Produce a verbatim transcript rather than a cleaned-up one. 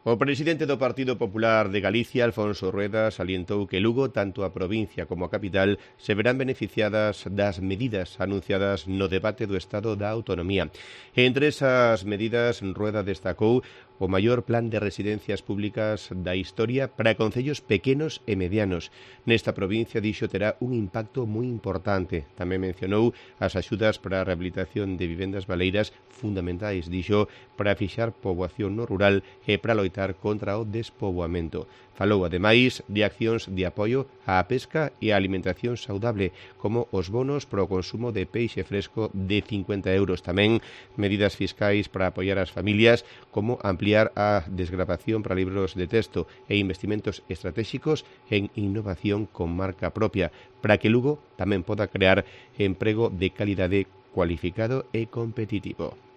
O presidente do Partido Popular de Galicia, Alfonso Rueda, salientou que Lugo, tanto a provincia como a capital, se verán beneficiadas das medidas anunciadas no debate do Estado da Autonomía. Entre esas medidas, Rueda destacou o maior plan de residencias públicas da historia para concellos pequenos e medianos. Nesta provincia, dixo, terá un impacto moi importante. Tamén mencionou as axudas para a rehabilitación de vivendas baleiras fundamentais, dixo, para fixar poboación no rural e para loitar contra o despoboamento. Falou, ademais, de accións de apoio á pesca e á alimentación saudable, como os bonos para o consumo de peixe fresco de cincuenta euros. Tamén medidas fiscais para apoiar as familias, como ampliar a desgravación para libros de texto e investimentos estratégicos en innovación con marca propia, para que Lugo tamén poda crear emprego de calidade cualificado e competitivo.